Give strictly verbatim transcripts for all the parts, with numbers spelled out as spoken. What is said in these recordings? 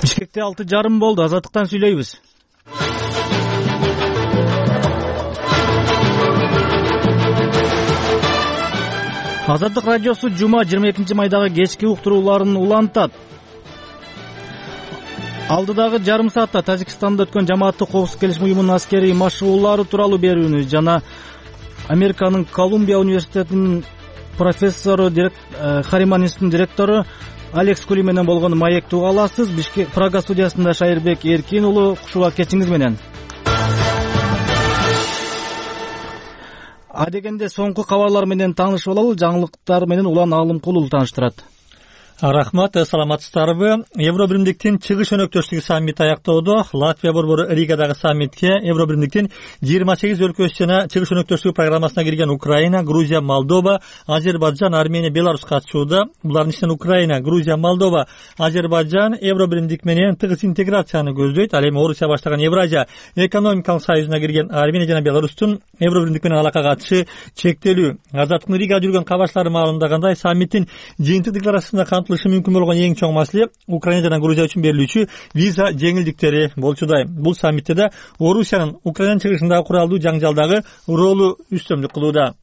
Бишкекте алты жарым болду. Азаттыктан сүйлөйбүз. Азаттык радиосу жума жыйырма экинчи майдагы кечки уктурууларын улантат. Алдыдагы жарым саатта Тажикстанда өткөн жамааттык коопсуздук келишим уюмунун аскерий машыгуулары тууралуу берүүнү жана Американын Колумбия университетинин профессору Хариман институтунун директору Алекс Кули менен болгон маекти уга аласыз. Бишкек Прага студиясында Шайырбек Эркин уулу, кушуба кетиңиз менен. Адегенде соңку кабарлар менен таанышып алалы. Жаңылыктар менен Улан Алымкулов тааныштырат. Рахмат, саламатсыздарбы? Евробиримдиктин чыгыш өнөктөштүгү саммити аяктоодо. Латвия борбору Ригадагы саммитке Евробиримдиктин жыйырма сегиз өлкөсү жана чыгыш өнөктөштүгү программасына кирген Украина, Грузия, Молдова, Азербайджан, Армения, Беларусь катышууда. Булардын ичинен Украина, Грузия, Молдова, Азербайджан Евробиримдик менен тыгыз интеграцияны көздөйт. Ал эми Орусия баштаган Евразия экономикалык союзуна кирген Армения жана Беларустун Евробиримдик менен алака катышы чектелүү. Азаттыктын Ригада жүргөн кабарчылары маалымдагандай, саммиттин жыйынтык декларациясында камтылышы мүмкүн болгон эң чоң маселе Украина жана Грузия үчүн берилүүчү виза жеңилдиктери болчудай. Бул саммитте да Орусиянын Украинанын чыгышындагы куралдуу жаңжалдагы ролу үстөмдүк кылууда.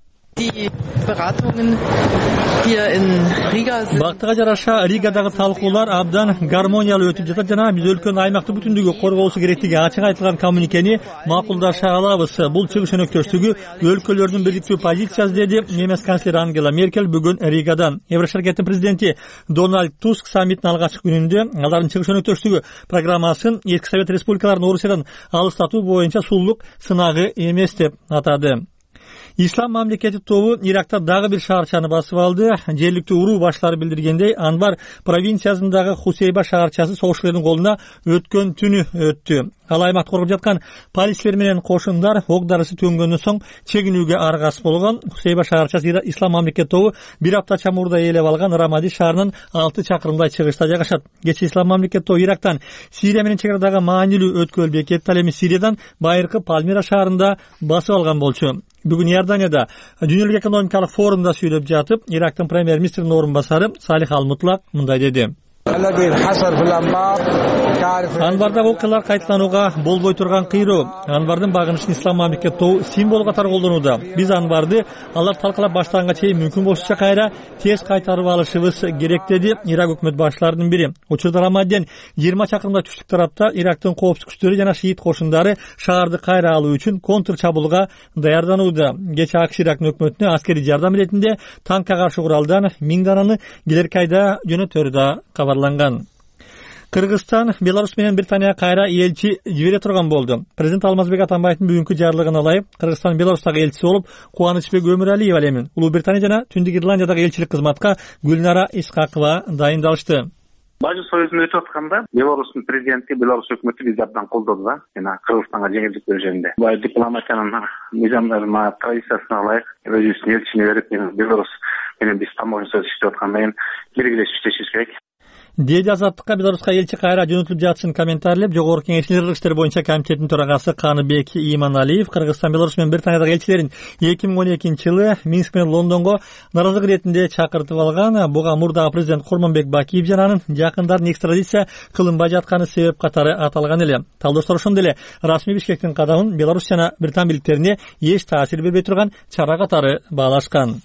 Бактыга жараша Ригадагы талкуулар абдан гармониялуу өтүп жатат жана биз өлкөнүн аймактык бүтүндүгү корголушу керектиги ачык айтылган коммуникени макулдаша алабыз. Бул чыгыш өнөктөштүгү өлкөлөрдүн бириктүү позициясы, деди немис канцлери Ангела Меркель бүгүн Ригадан. Еврошаркеттин президенти Дональд Туск саммиттин алгачкы күнүндө алардын чыгыш өнөктөштүгү программасын эски Совет республикаларын Орусиядан алыстатуу боюнча суллук сынагы эмес деп атады. Ислам мамлекети тобу Иракта дагы бир шаарчаны басып алды. Жергиликтүү уруу баштары билдиргендей, Анбар провинциясындагы Хусейба шаарчасы согушчулардын колуна өткөн түнү өттү. Ал аймакты коргоп жаткан полицейлер менен кошундар ок дарысы төнгөндөн соң чегинүүгө аргасыз болгон. Хусейба шаарчасы Ислам мамлекет тобу бир апта чамурда ээлеп алган Рамади шаарынын алты чакырымдай чыгышта жайгашат. Кечээ Ислам мамлекет тобу Ирактан Сирия менен чегарадагы маанилүү өткөл бекетти, ал эми Сириядан байыркы Пальмира шаарында басып алган болчу. Бүгүн Иорданияда дүйнөлүк экономикалык форумда сүйлөп жатып, Ирактын премьер-министринин орун басары Салих Ал-Мутлак мындай деди. Анбардагы окуялар кайталанууга болбой турган кыйроо. Анбардын багынычын Ислам мамлекет тобу символ катары колдонууда. Биз Анбарды алар талкалап баштаганга чейин мүмкүн болушунча кайра тез кайтарып алышыбыз керек, деди Ирак өкмөт башчыларынын бири. Учурда Рамадден жыйырма чакырымдай түштүк тарапта Ирактын коопсуздук күчтөрү жана шиит кошундары шаарды кайра алуу үчүн контр чабуулга даярданууда. Кечээ АКШ Ирактын өкмөтүнө аскерий жардам иретинде танкка каршы куралдан миң дананы келерки айда жөнөтөрү да кабарланган. Кыргызстан Беларусь менен Британияга кайра элчи жибере турган болду. Президент Алмазбек Атамбаевдин бүгүнкү жарлыгына ылайык Кыргызстан Беларустагы элчиси болуп Кубанычбек Өмүралиев ал эми Улуу Британия жана Түндүк Ирландиядагы элчилик кызматка Гүлнара Исхакова дайындалышты. Бажы союзун өтүп атканда Беларустун президенти Беларусь өкмөтү бизди абдан колдоду да, жана Кыргызстанга жеңилдик берүү жөнүндө. Бул дипломатиянын мыйзамдарына, традициясына ылайык өзүбүздүн элчини берип, Беларусь менен биз таможня сөз иштеп аткандан кийин биргелешип иштешибиз керек. Деди Азаттыкка Беларуска элчи кайра жөнөтүлүп жатышын комментарийлеп, Жогорку Кеңештин ыргыз иштери боюнча комитетинин төрагасы Каныбек Иманалиев Кыргызстан, Беларусь менен Британиядагы элчилерин эки миң он экинчи жылы Минск менен Лондонго наразылык иретинде чакыртып алган. Буга мурдагы президент Курманбек Бакиев жана анын жакындарын экстрадиция кылынбай жатканы себеп катары аталган эле. Талдоштор ошондой эле расмий Бишкектин кадамын Беларусь жана Британ бийликтерине эч таасир бербей турган чара катары баалашкан.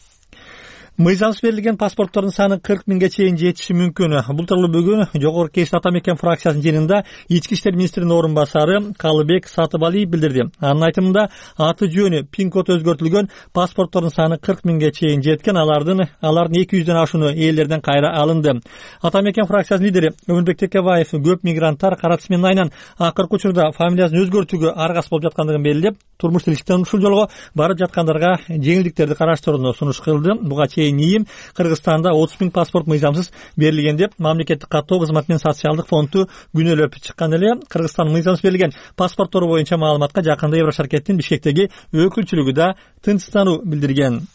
Мыйзамсыз берилген паспорттордун саны кырк миңге чейин жетиши мүмкүн. Бул тууралуу бүгүн Жогорку Кеңештин Ата Мекен фракциясынын жыйынында Ички иштер министринин орун басары Калыбек Сатыбалиев билдирди. Анын айтымында аты жөнү, пин код өзгөртүлгөн паспорттордун саны кырк миңге чейин жеткен, алардын алардын эки жүздөн ашууну ээлерден кайра алынды. Ата Мекен фракциясынын лидери Өмүрбек Текебаев көп мигранттар кара тизмеден айынан акыркы учурда фамилиясын өзгөртүүгө аргасыз болуп жаткандыгын белгилеп, турмуш тиричиликтен ушул жолго барып жаткандарга жеңилдиктерди караштырууну сунуш кылды. Буга чейин ИИМ Кыргызстанда отуз миң паспорт мыйзамсыз берилген деп мамлекеттик каттоо кызматы менен социалдык фонду күнөөлөп чыккан эле. Кыргызстан мыйзамсыз берилген паспорттору боюнча маалыматка жакында Еврошаркеттин Бишкектеги өкүлчүлүгү да тынчсыздануу билдирген.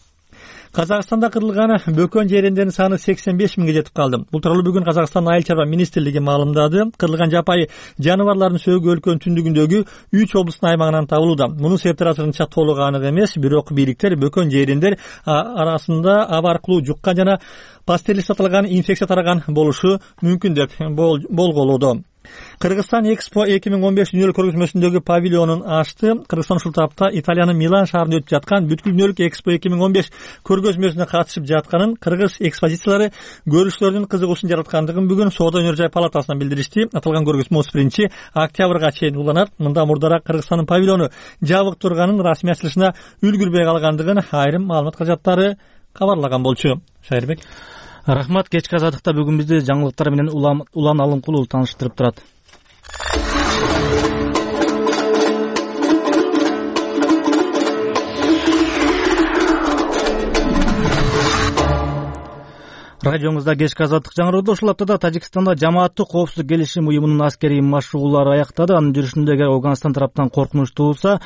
Казакстанда кырылган бөкөн жерендердин саны сексен беш миңге жетип калды. Бул тууралуу бүгүн Казакстандын айыл чарба министрлиги маалымдады. Кырылган жапайы жаныбарлардын сөөгү өлкөнүн түндүгүндөгү үч облустун аймагынан табылууда. Мунун себептери азырынча толук анык эмес, бирок бийликтер бөкөн жерендер арасында аба аркылуу жуккан жана пастериз аталган инфекция тараган болушу мүмкүн деп болголоодо. Кыргызстан Экспо эки миң он беш дүйнөлүк көргөзмөсүндөгү павильонун ачты. Кыргызстан ушул тапта Италиянын Милан шаарында өтүп жаткан бүткүл дүйнөлүк Экспо эки миң он беш көргөзмөсүнө катышып жатканын, кыргыз экспозициялары көрүүчүлөрдүн кызыгуусун жараткандыгын бүгүн Соода өнөр жай палатасынан билдиришти. Аталган көргөзмө отуз биринчи октябрга чейин уланат. Мында мурдараак Кыргызстандын павильону жабык турганын, расмий ачылышына үлгүрбөй калгандыгын айрым маалымат каражаттары кабарлаган болчу. Шайырбек. Рахмат. Кечки азаттыкта бүгүн бизди жаңылыктар менен Улан Алымкулов тааныштырып турат. Радионузда кечки азаттык жаңырды. Ушул аптада Тажикстанда жамааттык коопсуздук келишим уюмунун аскерий машыгуулары аякта,ды. Анын жүрүшүндө эгер Афганистан тараптан коркунуч туулса,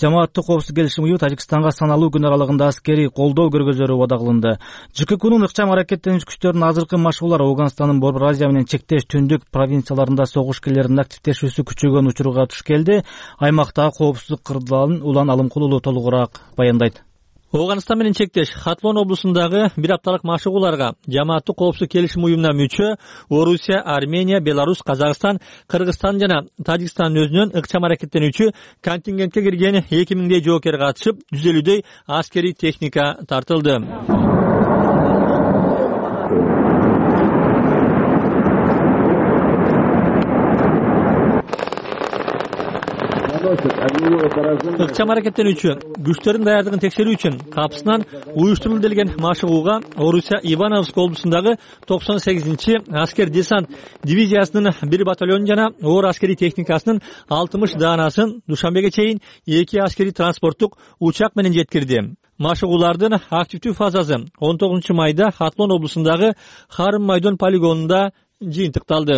жамааттык коопсуздук келишим уюму Тажикстанга саналуу күн аралыгында аскерий колдоо көргөзөрү убада кылынды. ЖККнун ыкчам аракеттенүүчү күчтөрүнүн азыркы машыгуулары Афганистандын Борбор Азия менен чектеш түндүк провинцияларында согуш кирлеринин активдешүүсү күчөгөн учурга туш келди. Аймактагы коопсуздук кырдаалын Улан Алымкулов толугураак баяндайт. Афганистан менен чектеш Хатлон облусундагы бир апталык машыгууларга жамааттык коопсуздук келишим уюмуна мүчө Орусия, Армения, Беларусь, Казакстан, Кыргызстан жана Тажикстандын өзүнөн ыкчам аракеттенүүчү контингентке кирген эки миңдей жоокер катышып, жүз элүүдөй аскерий техника тартылды. Ыкчам аракеттенүүчү күчтөрдүн даярдыгын текшерүү үчүн капысынан уюштурулду делген машыгууга Орусия Ивановск облусундагы токсон сегизинчи аскер десант дивизиясынын бир батальон жана оор аскерий техникасынын алтымыш даанасын Душанбеге чейин эки аскерий транспорттук учак менен жеткирди. Машыгуулардын активдүү фазасы он тогузунчу майда Хатлон облусундагы Харым майдон полигонунда жыйынтыкталды.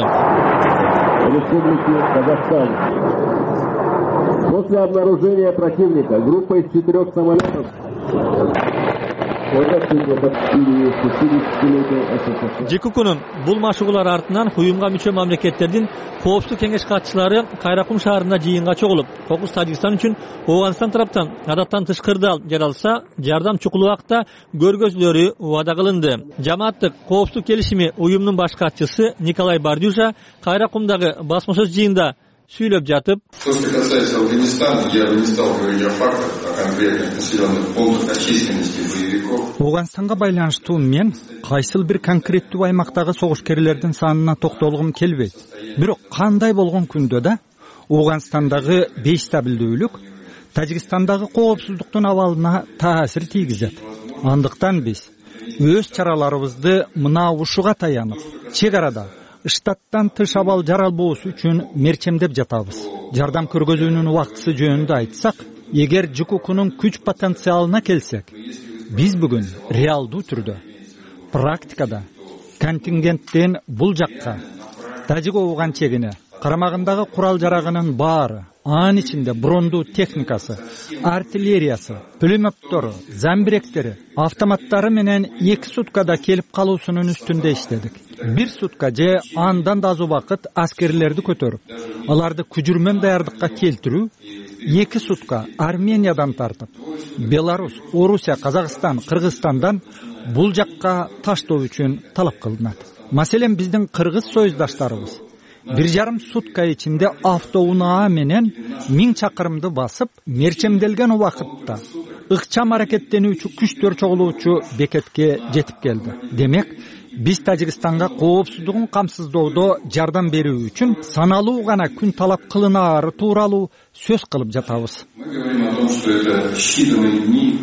Республики Казахстан. После обнаружения противника группа из четырех самолетов ЖККнун бул машыгуулар артынан уюмга мүчө мамлекеттердин коопсуздук кеңеш катчылары Кайракум шаарында жыйынга чогулуп, кокус Тажикстан үчүн Афганистан тараптан адаттан тыш кырдаал жаралса, жардам чукул убакта көргөзүлөрү убада кылынды. Жамааттык коопсуздук келишими уюмунун баш катчысы Николай Бардюжа Кайракумдагы басма сөз жыйында сүйлөп жатып, то, что касается Афганистана, я бы не стал говорить о фактах, о конкретных населенных пунктах, о численности боевиков. Афганистанга байланыштуу мен кайсыл бир конкреттүү аймактагы согушкерлердин санына токтолгум келбейт. Бирок кандай болгон күндө да Афганистандагы бейстабилдүүлүк Тажикстандагы коопсуздуктун абалына таасир тийгизет. Андыктан биз өз чараларыбызды мына ушуга таянып, чек арада штаттан тыш абал жаралбоосу үчүн мерчемдеп жатабыз. Жардам көргөзүүнүн убактысы жөнүндө айтсак, эгер ЖККнун күч потенциалына келсек, биз бүгүн реалдуу түрдө практикада контингенттен бул жакка Тажик-Афган чегине карамагындагы курал жарагынын баары, анын ичинде брондуу техникасы, артиллериясы, пулеметтору, замбиректери, автоматтары менен эки суткада келип калуусунун үстүндө иштедик. Бир сутка же андан да аз убакыт аскерлерди көтөрүп, аларды күжүрмөн даярдыкка келтирүү, эки сутка Армениядан тартып, Беларусь, Орусия, Казакстан, Кыргызстандан бул жакка таштоо үчүн талап кылынат. Маселен, биздин кыргыз союздаштарыбыз бир жарым сутка ичинде автоунаа менен миң чакырымды басып, мерчемделген убакытта ыкчам аракеттенүүчү күчтөр чогулуучу бекетке жетип келди. Демек, биз Тажикстанга коопсуздугун камсыздоодо жардам берүү үчүн саналуу гана күн талап кылынаары тууралуу сөз кылып жатабыз. Мы говорим о том, что это считанные дни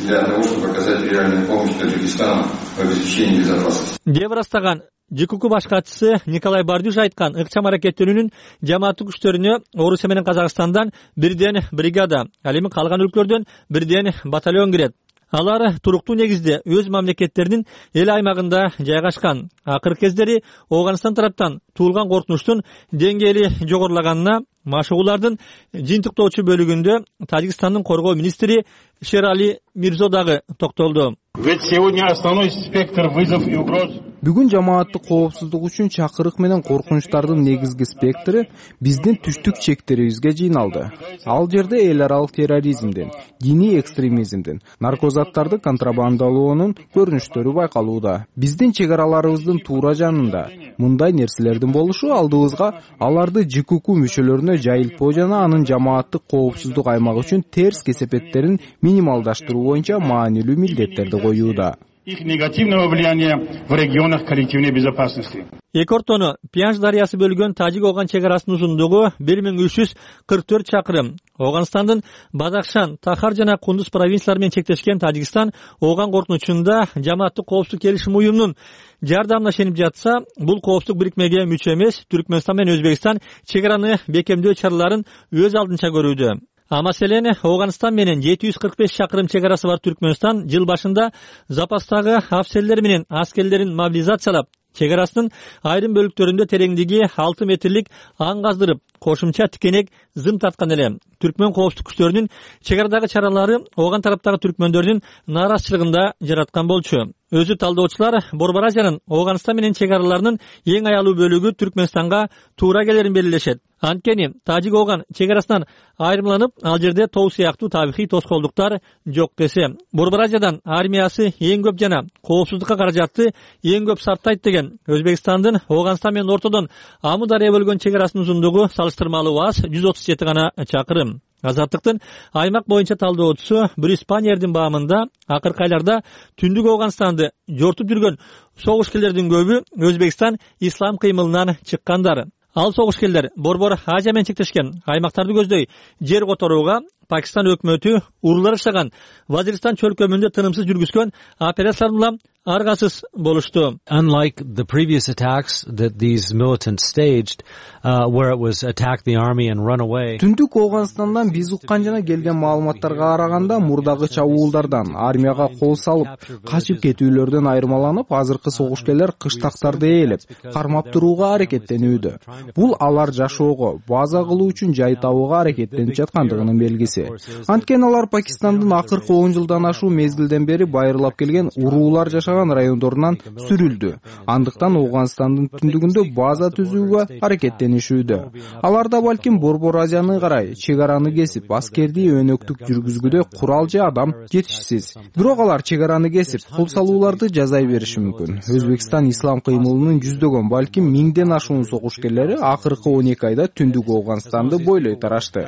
для того, чтобы оказать реальную помощь Таджикистану в обеспечении безопасности. деп ырастаган ЖКК баш катчысы Николай Бардюж айткан ыкчам аракеттенүүнүн жамааттык күчтөрүнө Орусия менен Казакстандан бирден бригада, ал эми калган өлкөлөрдөн бирден батальон кирет. Алар туруктуу негизде өз мамлекеттеринин эл аймагында жайгашкан. Акыркы кездери Афганистан тараптан туулган коркунучтун деңгээли жогорулаганына машыгуулардын жыйынтыктоочу бөлүгүндө Тажикстандын коргоо министри Шерали Мирзо дагы токтолду. Ведь сегодня основной спектр вызов и угроз Бүгүн жамааттык коопсуздук үчүн чакырык менен коркунучтардын негизги спектри биздин түштүк чектерибизге жыйналды. Ал жерде эл аралык терроризмдин, диний экстремизмдин, наркозаттарды контрабандалоонун көрүнүштөрү байкалууда. Биздин чек араларыбыздын туура жанында мындай нерселердин болушу алдыбызга аларды ЖКУ мүчөлөрүнө жайылтпоо жана анын жамааттык коопсуздук аймак үчүн терс кесепеттерин минималдаштыруу боюнча маанилүү милдеттерди коюуда. Их негативного влияния в регионах коллективной безопасности. Эки ортону Пянж дарыясы бөлгөн Тажик-Оган чек арасынын узундугу бир миң үч жүз кырк төрт чакырым. Оганстандын Бадахшан, Тахар жана Кундуз провинциялары менен чектешкен Тажикстан Оган коркунучунда жамааттык коопсуздук келишим уюмунун жардамына ишенип жатса, бул коопсуздук бирикмеге мүчө эмес. Түркмөнстан менен Өзбекстан чек араны бекемдөө чараларын өз алдынча көрүүдө. А маселен, Оганстан менен жети жүз кырк беш чакырым чек арасы бар Түркмөнстан жыл башында запастагы афсерлер менен аскерлерин мобилизациялап, чек арасынын айрым бөлүктөрүндө тереңдиги алты метрлик аң каздырып, кошумча тикенек зым тарткан эле. Түркмөн коопсуздук күчтөрүнүн чек арадагы чаралары Оган тараптагы түркмөндөрдүн нааразычылыгында жараткан болчу. Өзү талдоочулар Борбор Азиянын Оганстан менен чек араларынын эң аялуу бөлүгү Түркмөнстанга туура келерин белгилешет. Анткени Тажик-Оган чек арасынан айрымланып, ал жерде тоо сыяктуу табигый тоскоолдуктар жок десе, Борбор Азиядан армиясы эң көп жана коопсуздукка каражатты эң көп сарптайт деген Өзбекстандын Оганстан менен ортодон Аму дарыя бөлгөн чек арасынын узундугу салыштырмалуу аз жүз отуз жети гана чакырым. Азаттыктын аймак боюнча талдоочусу Брюс Паньердин баамында акыркы айларда түндүк Оганстанды жортуп жүргөн согушкерлердин көбү Өзбекстан ислам кыймылынан чыккандар. Ал согушкерлер Борбор Азия менен чектешкен аймактарды көздөй жер которууга Пакистан өкмөтү уруулар жашаган Вазиристан чөлкөмүндө тынымсыз жүргүзгөн операцияларга аргасыз болушту. Unlike the previous attacks that these militants staged, uh, where it was attack the army and run away. Түндүк Оганстандан биз уккан жана келген маалыматтарга караганда мурдагы чабуулдардан, армияга кол салып, качып кетүүлөрдөн айырмаланып, азыркы согушкерлер кыштактарды ээлеп, кармап турууга аракеттенүүдө. Бул алар жашоого, база кылуу үчүн жай табууга аракеттенип жаткандыгынын белгиси. Анткени алар Пакистандын акыркы он жылдан ашуу мезгилден бери байырлап келген уруулар жашаган райондорунан сүрүлдү. Андыктан Оганстандын түндүгүндө база түзүүгө аракеттенишүүдө. Алар да балким Борбор Азияны карай чек араны кесип, аскердий өнөктүк жүргүзгүдө курал же адам жетишсиз. Бирок алар чек араны кесип, кол салууларды жазай бериши мүмкүн. Өзбекстан ислам кыймылынын жүздөгөн, балким миңден ашуун согушкерлери акыркы он эки айда түндүк Оганстанды бойлой тарашты.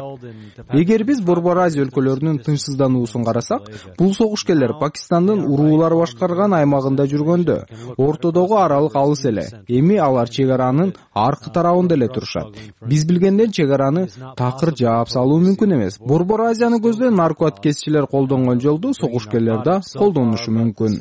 Эгер биз Борбор Азия өлкөлөрүнүн тынчсыздануусун карасак, бул согушкерлер Пакистандын уруулар башкарган аймагында жүргөндө, ортодогу аралык алыс эле. Эми алар чек аранын аркы тарабында эле турушат. Биз билгенден чек араны такыр жаап салуу мүмкүн эмес. Борбор Азияны көздөй наркотикесчилер колдонгон жолду согушкерлер да колдонушу мүмкүн.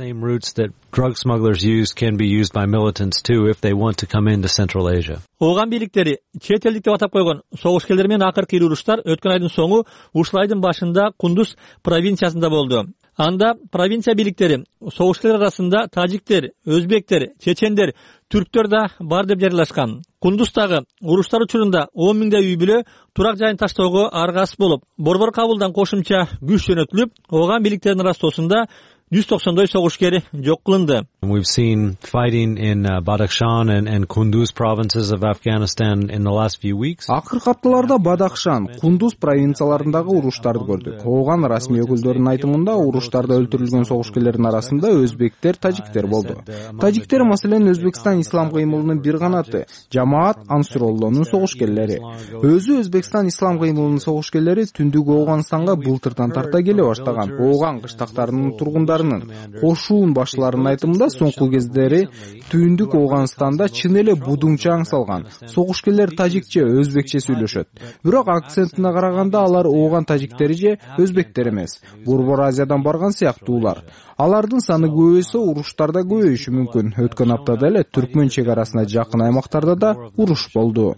Drug smugglers use can be used by militants too if they want to come into Central Asia. Оган бийликтери чет элдик деп атап койгон согушкерлер менен акыркы уруштар өткөн айдын соңу ушул айдын башында Кундуз провинциясында болду. Анда провинция бийликтери согушкерлер арасында тажиктер, өзбектер, чечендер, түрктөр да бар деп жарыялашкан. Кундуздагы уруштар учурунда он миңдей үй бүлө турак жайын таштоого аргасыз болуп, Борбор Кабулдан кошумча күч жөнөтүлүп, Оган бийликтеринин арастоосунда жүз токсондой согушкер жок кылынды. We've seen fighting in uh, Badakhshan and, and Kunduz provinces of Afghanistan in the last few weeks. Акыркы апталарда Бадахшан, Кундуз провинцияларындагы уруштарды көрдүк. Оган расмий өкүлдөрүнүн айтымында уруштарда өлтүрүлгөн согушкерлердин арасында өзбектер, тажиктер болду. Тажиктер маселен Өзбекстан ислам кыймылынын бир канаты, Жамаат Ансуроллонун согушкерлери. Өзү Өзбекстан ислам кыймылынын согушкерлери түндүк Оганстанга былтырдан тарта келе баштаган. Оган кыштактарынын тургундарынын, кошуун башларынын айтымында соңку кездери түндүк Оганстанда чын эле будуңча аң салган. Согушкерлер тажикче, өзбекче сүйлөшөт. Бирок акцентине караганда алар Оган тажиктери же өзбектер эмес. Борбор Азиядан барган сыяктуулар. Алардын саны көбөйсө, уруштарда көбөйүшү мүмкүн. Өткөн аптада эле Түркмөн чек арасына жакын аймактарда да уруш болду.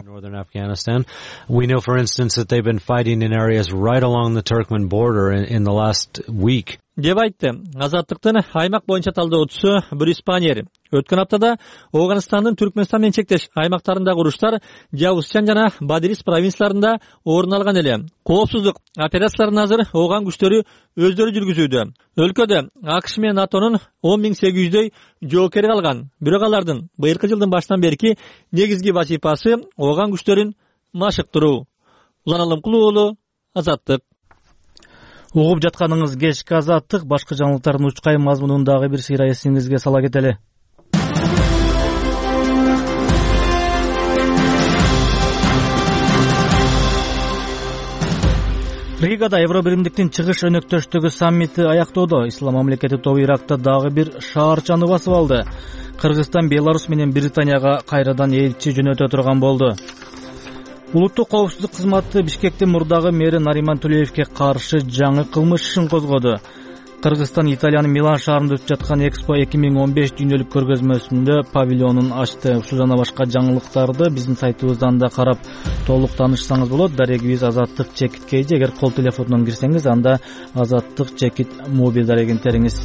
We know, for instance, that they've been fighting in areas right along the Turkmen border in, in the last week. деп айтты. Азаттыктын аймак боюнча талдоочусу Брюс Паньер өткөн аптада Ооганстандын Түркмөнстан менен чектеш аймактарындагы уруштар Жавузчан жана Бадирис провинцияларында орун алган эле. Коопсуздук операцияларын азыр Ооган күчтөрү өздөрү жүргүзүүдө. Өлкөдө АКШ менен НАТОнун он миң сегиз жүздөй жоокери калган. Бирок алардын быйылкы жылдын башынан берки негизги вазифасы Ооган күчтөрүн машыктыруу. Улан Алымкулуу уулу, Азаттык. Угуп жатканыңыз кечки Азаттык. Башкы жаңылыктардын учкай мазмунун дагы бир сыйра эсиңизге сала кетели. Ригада Евробиримдиктин чыгыш өнөктөштүгү саммити аяктоодо. Ислам мамлекети тобу Иракта дагы бир шаарчаны басып алды. Кыргызстан Беларусь менен Британияга кайрадан элчи жөнөтө турган болду. Улуттук коопсуздук кызматы Бишкектин мурдагы мэри Нариман Төлөевке каршы жаңы кылмыш ишин козгоду. Кыргызстан Италиянын Милан шаарында өтүп жаткан Экспо эки миң он беш дүйнөлүк көргөзмөсүндө павильонун ачты. Ушул жана башка жаңылыктарды биздин сайтыбыздан да карап толук таанышсаңыз болот. Дарегибиз Азаттык чекит кейжи. Эгер кол телефонунан кирсеңиз, анда Азаттык чекит мобил дарегин териңиз.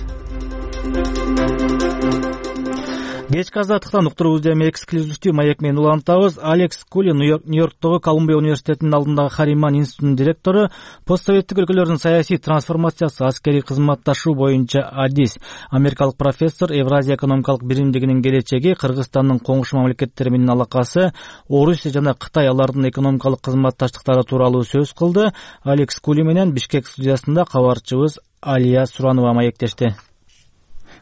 Кечки Азаттыктан уктуруубузду эми эксклюзивдүү маек менен улантабыз. Алекс Кулин Нью-Йорктогу Колумбия университетинин алдындагы Хариман институтунун директору, постсоветтик өлкөлөрдүн саясий трансформациясы, аскерий кызматташуу боюнча адис. Америкалык профессор Евразия экономикалык биримдигинин келечеги, Кыргызстандын коңшу мамлекеттери менен алакасы, Орусия жана Кытай алардын экономикалык кызматташтыктары тууралуу сөз кылды. Алекс Кулин менен Бишкек студиясында кабарчыбыз Алия Суранова маектешти.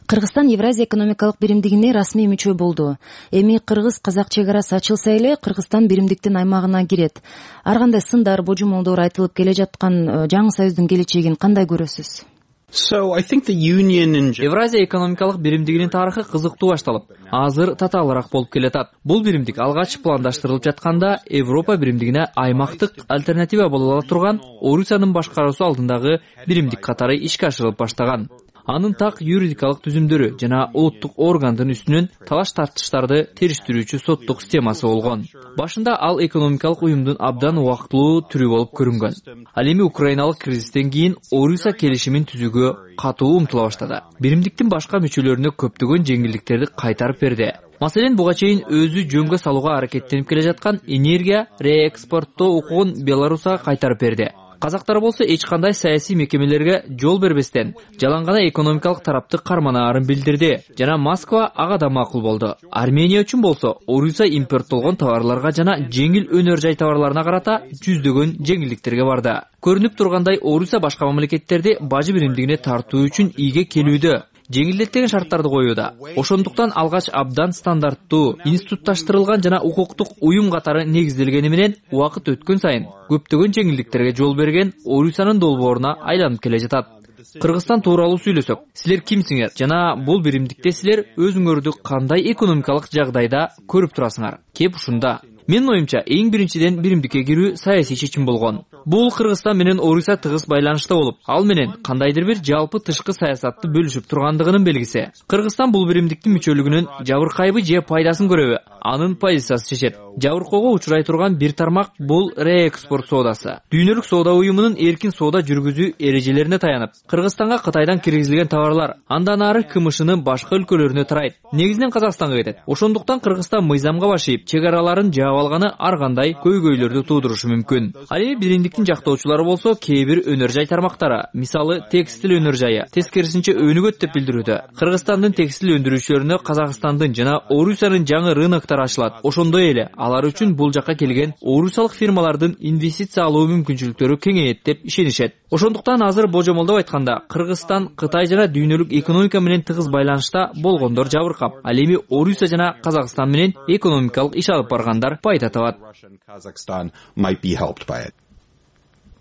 Кыргызстан Евразия экономикалык биримдигине расмий мүчө болду. Эми кыргыз-казак чек арасы ачылса эле Кыргызстан биримдиктин аймагына кирет. Ар кандай сындар, божомолдор айтылып келе жаткан жаңы союздун келечегин кандай көрөсүз? Евразия экономикалык биримдигинин тарыхы кызыктуу башталып, азыр татаалыраак болуп келатат. Бул биримдик алгач пландаштырылып жатканда Европа биримдигине аймактык альтернатива боло ала турган Орусиянын башкаруусу алдындагы биримдик катары ишке ашырылып баштаган. Анын так юридикалык түзүмдөрү жана улуттук органдын үстүнөн талаш тартыштарды териштирүүчү соттук системасы болгон. Башында ал экономикалык уюмдун абдан убактылуу түрү болуп көрүнгөн. Ал эми украиналык кризистен кийин Орусия келишимин түзүүгө катуу умтула баштады. Биримдиктин башка мүчөлөрүнө көптөгөн жеңилдиктерди кайтарып берди. Маселен, буга чейин өзү жөнгө салууга аракеттенип келе жаткан энергия реэкспорттоо укугун Беларусга кайтарып берди. Казактар болсо эч кандай саясий мекемелерге жол бербестен жалаң гана экономикалык тарапты карманаарын билдирди жана Москва ага да макул болду. Армения үчүн болсо Орусия импорттолгон товарларга жана жеңил өнөр жай товарларына карата жүздөгөн жеңилдиктерге барды. Көрүнүп тургандай, Орусия башка мамлекеттерди бажы биримдигине тартуу үчүн ийге келүүдө, жеңилдеттеген шарттарды коюуда. Ошондуктан алгач абдан стандарттуу, институтташтырылган жана укуктук уюм катары негизделгени менен убакыт өткөн сайын көптөгөн жеңилдиктерге жол берген Орусиянын долбооруна айланып келе жатат. Кыргызстан тууралуу сүйлөсөк, силер кимсиңер жана бул биримдикте силер өзүңөрдү кандай экономикалык жагдайда көрүп турасыңар? Кеп ушунда. Менин оюмча, эң биринчиден биримдикке кирүү саясий чечим болгон. Бул Кыргызстан менен Орусия тыгыз байланышта болуп, ал менен кандайдыр бир жалпы тышкы саясатты бөлүшүп тургандыгынын белгиси. Кыргызстан бул биримдиктин мүчөлүгүнүн жабыркайбы же пайдасын көрөбү? Анын позициясы чечет. Жабыркоого учурай турган бир тармак бул реэкспорт соодасы. Дүйнөлүк соода уюмунун эркин соода жүргүзүү эрежелерине таянып, Кыргызстанга Кытайдан киргизилген товарлар андан ары КМШнын башка өлкөлөрүнө тарайт. Негизинен Казакстанга кетет. Ошондуктан Кыргызстан мыйзамга башыйып, чек араларын жаап алганы ар кандай көйгөйлөрдү туудурушу мүмкүн. Ал эми биримдиктин жактоочулары болсо кээ бир өнөр жай тармактары, мисалы текстил өнөр жайы, тескерисинче өнүгөт деп билдирүүдө. Кыргызстандын текстил өндүрүүчүлөрүнө Казакстандын жана Орусиянын жаңы рыноктары ачылат. Ошондой эле алар үчүн бул жакка келген орусиялык фирмалардын инвестиция алуу мүмкүнчүлүктөрү кеңейет деп ишенишет. Ошондуктан азыр божомолдоп айтканда, Кыргызстан Кытай жана дүйнөлүк экономика менен тыгыз байланышта болгондор жабыркап, ал эми Орусия жана Казакстан менен экономикалык иш алып баргандар пайда табат.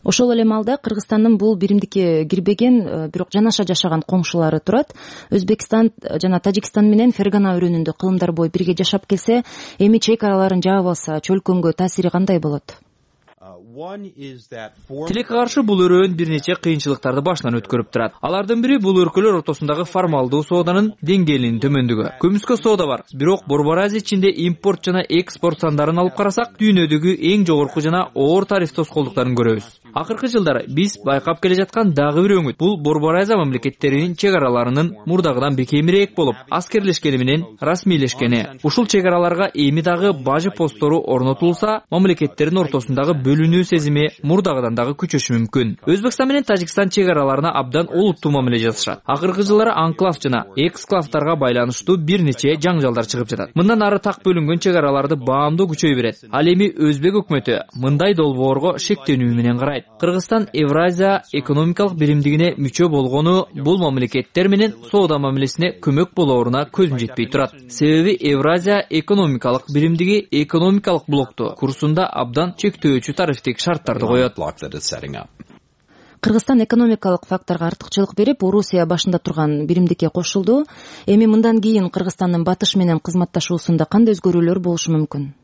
Ошол эле маалда Кыргызстандын бул биримдикке кирбеген, бирок жанаша жашаган коңшулары турат. Өзбекстан жана Тажикстан менен Фергана өрөөнүндө кылымдар бою бирге жашап келсе, эми чек араларын жаап алса, чөлкөнгө таасири кандай болот? Тилекке каршы бул өрөөн бир нече кыйынчылыктарды башынан өткөрүп турат. Алардын бири бул өлкөлөр ортосундагы формалдуу сооданын деңгээлинин төмөндүгү. Көмүскө соода бар, бирок Борбор Азия ичинде импорт жана экспорт сандарын алып карасак, дүйнөдөгү эң жогорку жана оор тариф тоскоолдуктарын көрөбүз. Акыркы жылдары биз байкап келе жаткан дагы бир өңүт бул Борбор Азия мамлекеттеринин чек араларынын мурдагыдан бекемирээк болуп, аскерлешкени менен расмийлешкени. Ушул чек араларга эми дагы бажы посттору орнотулса, мамлекеттердин ортосундагы бөлүнүү сезими мурдагыдан дагы күчөшү мүмкүн. Өзбекстан менен Тажикстан чек араларына абдан олуттуу мамиле жасашат. Акыркы жылдары анклав жана эксклавдарга байланыштуу бир нече жаңжалдар чыгып жатат. Мындан ары так бөлүнгөн чек араларды баамдуу күчөй берет. Ал эми Өзбек өкмөтү мындай долбоорго шектенүү менен карайт. Кыргызстан Евразия экономикалык биримдигине мүчө болгону бул мамлекеттер менен соода мамилесине көмөк болооруна көзүм жетпей турат. Себеби Евразия экономикалык биримдиги экономикалык блокту курсунда абдан чектөөчү тарифтик шарттарды коет. Кыргызстан экономикалык факторго артыкчылык берип, Орусия башында турган биримдикке кошулду. Эми мындан кийин Кыргызстандын батыш менен кызматташуусунда кандай өзгөрүүлөр болушу мүмкүн?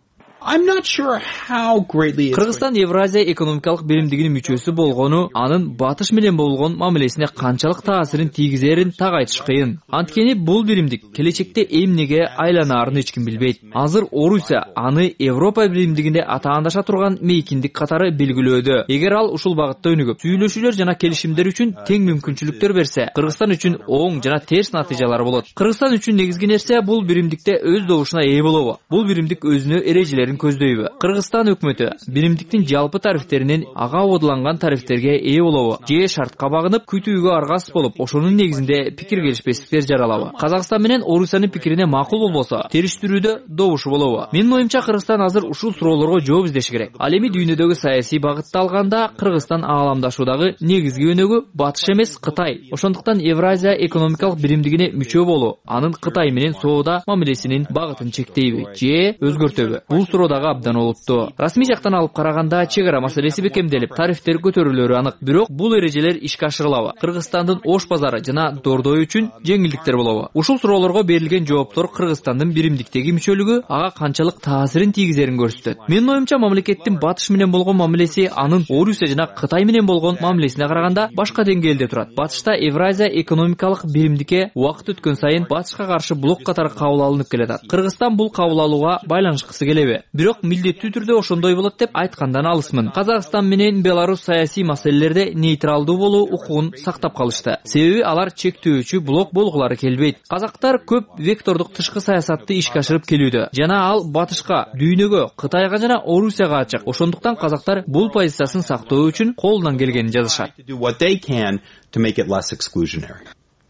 Кыргызстан Евразия экономикалык биримдигинин мүчөсү болгону анын батыш менен болгон мамилесине канчалык таасирин тийгизерин так айтыш кыйын. Анткени бул биримдик келечекте эмнеге айланаарын эч ким билбейт. Азыр Орусия аны Европа биримдигинде атаандаша турган мейкиндик катары белгилөөдө. Эгер ал ушул багытта өнүгүп, сүйлөшүүлөр жана келишимдер үчүн тең мүмкүнчүлүктөр берсе, Кыргызстан үчүн оң жана терс натыйжалар болот. Кыргызстан үчүн негизги нерсе бул биримдикте өз добушуна ээ болобу? Бул биримдик өзүнө эрежелер көздөйбү? Кыргызстан өкмөтү биримдиктин жалпы тарифтеринен ага ободуланган тарифтерге ээ болобу? Же шартка багынып, күтүүгө аргасыз болуп, ошонун негизинде пикир келишпестиктер жаралабы? Казакстан менен Орусиянын пикирине макул болбосо, териштирүүдө добушу болобу? Менин оюмча, Кыргызстан азыр ушул суроолорго жооп издеши керек. Ал эми дүйнөдөгү саясий багытты алганда, Кыргызстан ааламдашуудагы негизги өнөгү Батыш эмес, Кытай. Ошондуктан Евразия экономикалык биримдигине мүчө болуу анын Кытай менен соода мамилесинин багытын чектейби же өзгөртөбү? Бул дагы абдан олуттуу. Расмий жактан алып караганда чек ара маселеси бекемделип, тарифтер көтөрүлөрү анык. Бирок бул эрежелер ишке ашырылабы? Кыргызстандын ош базары жана Дордой үчүн жеңилдиктер болобу? Ушул суроолорго берилген жооптор Кыргызстандын биримдиктеги мүчөлүгү ага канчалык таасирин тийгизерин көрсөтөт. Менин оюмча, мамлекеттин Батыш менен болгон мамилеси анын Орусия жана Кытай менен болгон мамилесине караганда башка деңгээлде турат. Батышта Евразия экономикалык биримдикке убакыт өткөн сайын Батышка каршы блок катары кабыл алынып келатат. Кыргызстан бул кабыл алууга байланышкысы келеби? Бирок милдеттүү түрдө ошондой болот деп айткандан алысмын. Казакстан менен Беларусь саясий маселелерде нейтралдуу болуу укугун сактап калышты. Себеби алар чектөөчү блок болгулары келбейт. Казактар көп вектордук тышкы саясатты ишке ашырып келүүдө. Жана ал Батышка, дүйнөгө, Кытайга жана Орусияга ачык. Ошондуктан казактар бул позициясын сактоо үчүн колунан келгенин жазышат.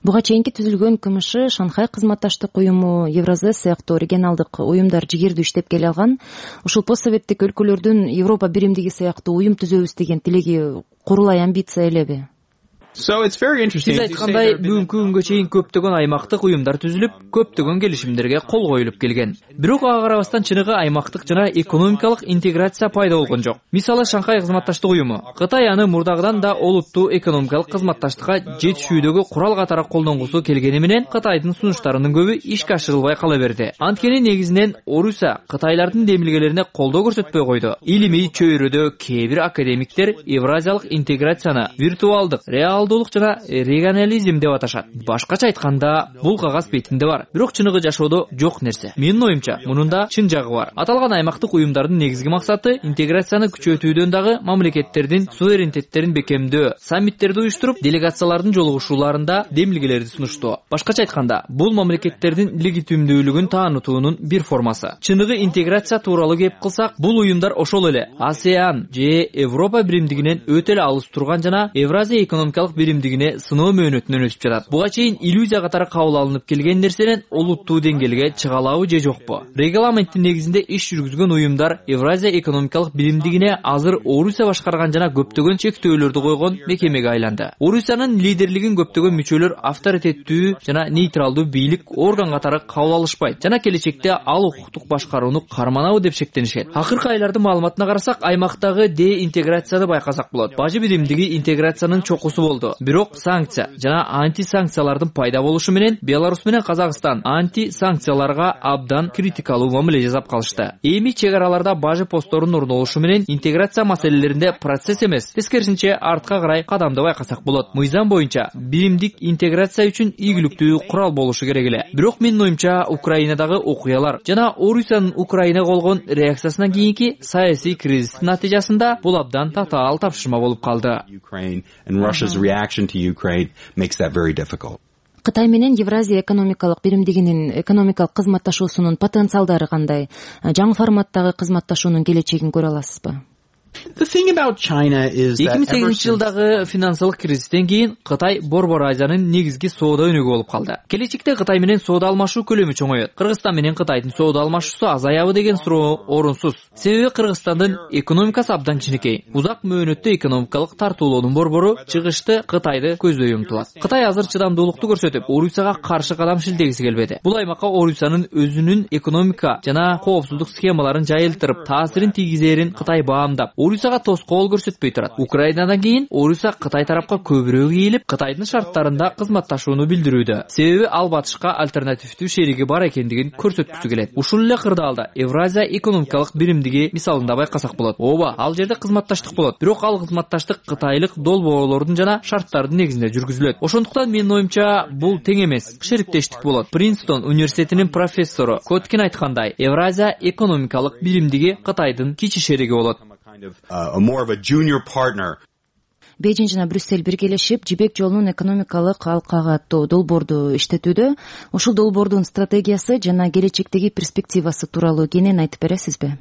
Буга чейинки түзүлгөн КМШ, Шанхай кызматташтык уюму, Евразес сыяктуу регионалдык уюмдар жигердүү иштеп келе алган. Ушул постсоветтик өлкөлөрдүн Европа биримдиги сыяктуу уюм түзөбүз деген тилеги курулай амбиция элеби? Сиз айткандай, бүгүнкү күнгө чейин көптөгөн аймактык уюмдар түзүлүп, көптөгөн келишимдерге кол коюлуп келген. Бирок ага карабастан чыныгы аймактык жана экономикалык интеграция пайда болгон жок. Мисалы, Шанхай кызматташтык уюму. Кытай аны мурдагыдан да олуттуу экономикалык кызматташтыкка жетишүүдөгү курал катары колдонгусу келгени менен Кытайдын сунуштарынын көбү ишке ашырылбай кала берди. Анткени негизинен Орусия Кытайлардын демилгелерине колдоо көрсөтпөй койду. Илимий чөйрөдө кээ бир академиктер евразиялык интеграцияны виртуалдык, реалдуулук жана регионализм деп аташат. Башкача айтканда, бул кагаз бетинде бар, бирок чыныгы жашоодо жок нерсе. Менин оюмча, мунунда чын жагы бар. Аталган аймактык уюмдардын негизги максаты интеграцияны күчөтүүдөн дагы мамлекеттердин суверенитеттерин бекемдөө, саммиттерди уюштуруп, делегациялардын жолугушууларында демилгелерди сунуштоо. Башкача айтканда, бул мамлекеттердин легитимдүүлүгүн таанытуунун бир формасы. Чыныгы интеграция тууралуу кеп кылсак, бул уюмдар ошол эле АСЕАН же Европа биримдигинен өтө эле алыс турган жана Евразия экономикалык биримдигине сыноо мөөнөтүнөн өтүп жатат. Буга чейин иллюзия катары кабыл алынып келген нерсенен олуттуу деңгээлге чыга алабы же жокпу? Регламенттин негизинде иш жүргүзгөн уюмдар Евразия экономикалык биримдигине азыр Орусия башкарган жана көптөгөн чектөөлөрдү койгон мекемеге айланды. Орусиянын лидерлигин көптөгөн мүчөлөр авторитеттүү жана нейтралдуу бийлик орган катары кабыл алышпайт жана келечекте ал укуктук башкарууну карманабы деп шектенишет. Акыркы айлардын маалыматына карасак, аймактагы деинтеграцияны байкасак болот. Бажы биримдиги интеграциянын чокусу болду. болду. Бирок санкция жана анти-санкциялардын пайда болушу менен Беларусь менен Казакстан анти-санкцияларга абдан критикалуу мамиле жасап калышты. Эми чек араларда бажы постторунун орнолушу менен интеграция маселелеринде процесс эмес, тескерисинче артка карай кадамды байкасак болот. Мыйзам боюнча биримдик интеграция үчүн ийгиликтүү курал болушу керек эле. Бирок менин оюмча Украинадагы окуялар жана Орусиянын Украинага болгон реакциясынан кийинки саясий кризистин натыйжасында бул абдан татаал тапшырма болуп калды. Кытай менен Евразия экономикалык биримдигинин экономикалык кызматташуусунун потенциалдары кандай? Жаңы форматтагы кызматташуунун келечегин көрө аласызбы? эки миң сегизинчи жылдагы финансылык кризистен кийин Кытай Борбор Азиянын негизги соода өнүгү болуп калды. Келечекте Кытай менен соода алмашуу көлөмү чоңойот. Кыргызстан менен Кытайдын соода алмашуусу азаябы деген суроо орунсуз. Себеби Кыргызстандын экономикасы абдан кичинекей. Узак мөөнөттө экономикалык тартуулоонун борбору чыгышты Кытайды көздөй умтулат. Кытай азыр чыдамдуулукту көрсөтүп, Орусияга каршы кадам шилтегиси келбеди. Бул аймакка Орусиянын өзүнүн экономика жана коопсуздук схемаларын жайылтырып, таасирин тийгизерин Кытай баамдап, Орусияга тоскоол көрсөтпөй турат. Украинадан кийин Орусия Кытай тарапка көбүрөөк ийилип, Кытайдын шарттарында кызматташууну билдирүүдө. Себеби ал батышка альтернативдүү шериги бар экендигин көрсөткүсү келет. Ушул эле кырдаалда Евразия экономикалык биримдиги мисалында байкасак болот. Ооба, ал жерде кызматташтык болот. Бирок ал кызматташтык кытайлык долбоорлордун жана шарттардын негизинде жүргүзүлөт. Ошондуктан менин оюмча бул тең эмес, шериктештик болот. Принстон университетинин профессору Коткин айткандай, Евразия экономикалык биримдиги Кытайдын кичи шериги болот. Бейжин жана Брюссель биргелешип Жибек жолунун экономикалык алкага аттуу долбоорду иштетүүдө. Ушул долбоордун стратегиясы жана келечектеги перспективасы тууралуу кенен айтып бересизби?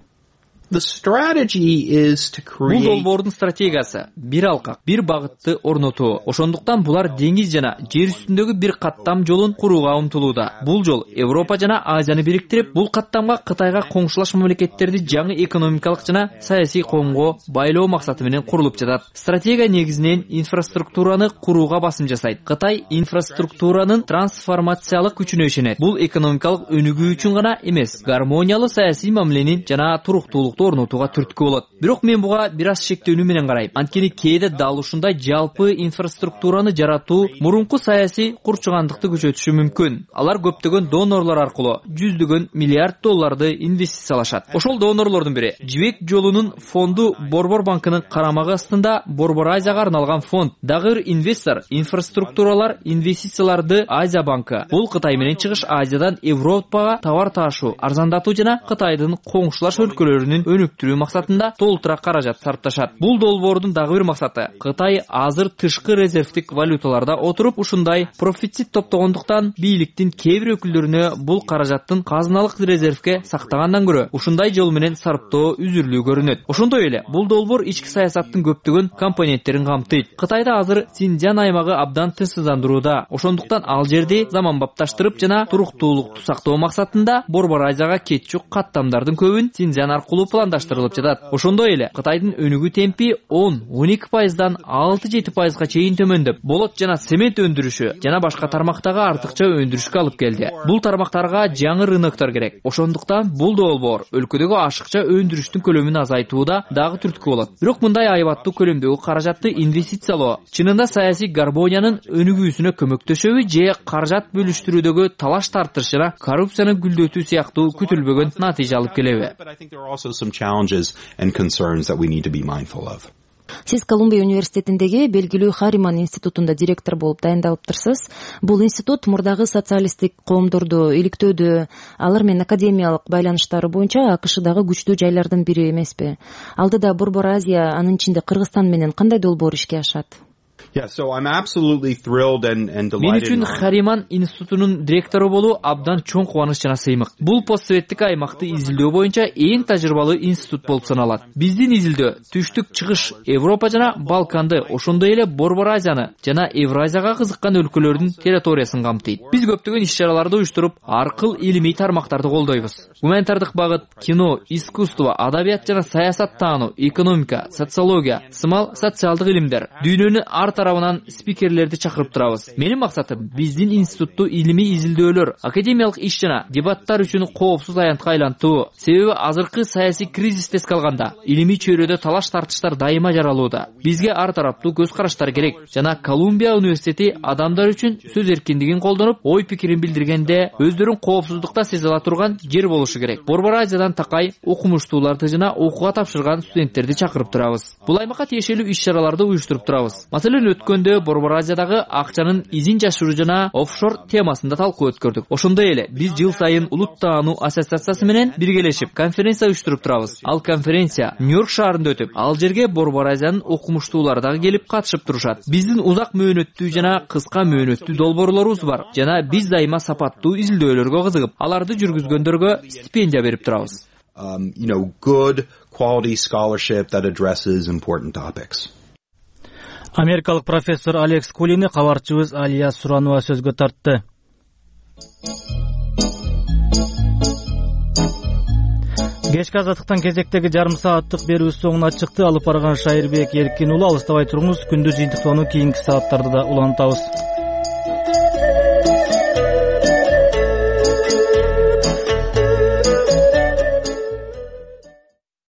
Бул долбоордун стратегиясы бир алкак, бир багытты орнотуу. Ошондуктан булар деңиз жана жер үстүндөгү бир каттам жолун курууга умтулууда. Бул жол Европа жана Азияны бириктирип, бул каттамга Кытайга коңшулаш мамлекеттерди жаңы экономикалык жана саясий коомго байлоо максаты менен курулуп жатат. Стратегия негизинен инфраструктураны курууга басым жасайт. Кытай инфраструктуранын трансформациялык күчүнө ишенет. Бул экономикалык өнүгүү үчүн гана эмес, гармониялуу саясий мамиленин жана туруктуулук орнотууга түрткү болот. Бирок мен буга бир аз шектөөнү менен карайм. Анткени кээде дал ушундай жалпы инфраструктураны жаратуу мурунку саясий курчугандыкты күчөтүшү мүмкүн. Алар көптөгөн донорлор аркылуу жүздөгөн миллиард долларды инвестициялашат. Ошол донорлордун бири Жибек жолунун фонду Борбор банкынын карамагы астында Борбор Азияга арналган фонд. Дагы инвестор инфраструктуралар инвестицияларды Азия банкы. Бул Кытай менен Чыгыш Азиядан Европага товар таашуу, арзандатуу жана Кытайдын коңшулаш өлкөлөрүнүн өнүктүрүү максатында толтура каражат сарпташат. Бул долбоордун дагы бир максаты Кытай азыр тышкы резервдик валюталарда отуруп ушундай профицит топтогондуктан бийликтин кээ бир өкүлдөрүнө бул каражаттын казыналык резервге сактагандан көрө ушундай жол менен сарптоо үзүрлүү көрүнөт. Ошондой эле бул долбоор ички саясаттын көптөгөн компоненттерин камтыйт. Кытайда азыр Синьцзян аймагы абдан тынчсыздандырууда. Ошондуктан ал жерди заманбапташтырып жана туруктуулукту сактоо максатында Борбор Азияга кетчүк каттамдардын көбүн Синьцзян аркылуу пландаштырылып жатат. Ошондой эле Кытайдын өнүгүү темпи он он эки пайыздан алты жети пайызга чейин төмөндөп, болот жана цемент өндүрүшү жана башка тармактагы артыкча өндүрүшкө алып келди. Бул тармактарга жаңы рыноктор керек. Ошондуктан бул долбоор өлкөдөгү ашыкча өндүрүштүн көлөмүн азайтууда дагы түрткү болот. Бирок мындай айбаттуу көлөмдөгү каражатты инвестициялоо чынында саясий гармониянын өнүгүүсүнө көмөктөшөбү же каражат бөлүштүрүүдөгү талаш тартыш жана коррупцияны гүлдөтүү сыяктуу күтүлбөгөн натыйжа алып келеби? Сиз Колумбия университетиндеги белгилүү Хариман институтунда директор болуп дайындалыптырсыз. Бул институт мурдагы социалисттик коомдорду иликтөөдө, алар менен академиялык байланыштары боюнча АКШдагы күчтүү жайлардын бири эмеспи? Алдыда Борбор Азия, анын ичинде Кыргызстан менен кандай долбоор ишке ашат? Мен үчүн Хариман институтунун директору болуу абдан чоң кубаныч жана сыймык. Бул постсоветтик аймакты изилдөө боюнча эң тажрыйбалуу институт болуп саналат. Биздин изилдөө түштүк чыгыш Европа жана Балканды, ошондой эле Борбор Азияны жана Евразияга кызыккан өлкөлөрдүн территориясын камтыйт. Биз көптөгөн иш-чараларды уюштуруп, аркыл илимий тармактарды колдойбуз. Гуманитардык багыт, кино, искусство, адабият жана саясат таануу, экономика, социология, сымал социалдык илимдер, дүйнөнү ар тарабынан спикерлерди чакырып турабыз. Менин максатым биздин институтту илимий изилдөөлөр, академиялык иш жана дебаттар үчүн коопсуз аянтка айлантуу. Себеби азыркы саясий кризисти эске алганда илимий чөйрөдө талаш тартыштар дайыма жаралууда. Бизге ар тараптуу көз караштар керек жана Колумбия университети адамдар үчүн сөз эркиндигин колдонуп, ой пикирин билдиргенде өздөрүн коопсуздукта сезе ала турган жер болушу керек. Борбор Азиядан такай окумуштууларды жана окууга тапшырган студенттерди чакырып турабыз. Бул аймакка тиешелүү иш-чараларды уюштуруп турабыз. Маселен, өткөндө Борбор Азиядагы акчанын изин жашыруу жана офшор темасында талкуу өткөрдүк. Ошондой эле биз жыл сайын Улут таануу ассоциациясы менен биргелешип конференция уюштуруп турабыз. Ал конференция Нью-Йорк шаарында өтүп, ал жерге Борбор Азиянын окумуштуулары дагы келип катышып турушат. Биздин узак мөөнөттүү жана кыска мөөнөттүү долбоорлорубуз бар жана биз дайыма сапаттуу изилдөөлөргө кызыгып, аларды жүргүзгөндөргө стипендия берип турабыз. Um, you know, good quality scholarship that addresses important topics. Америкалык профессор Алекс Кулини кабарчыбыз Алия Суранова сөзгө тартты. Кечки азаттыктан кезектеги жарым сааттык берүү соңуна чыкты. Алып барган Шайырбек Эркин уулу, алыстабай туруңуз. Күндүз жыйынтыктоону кийинки сааттарда да улантабыз.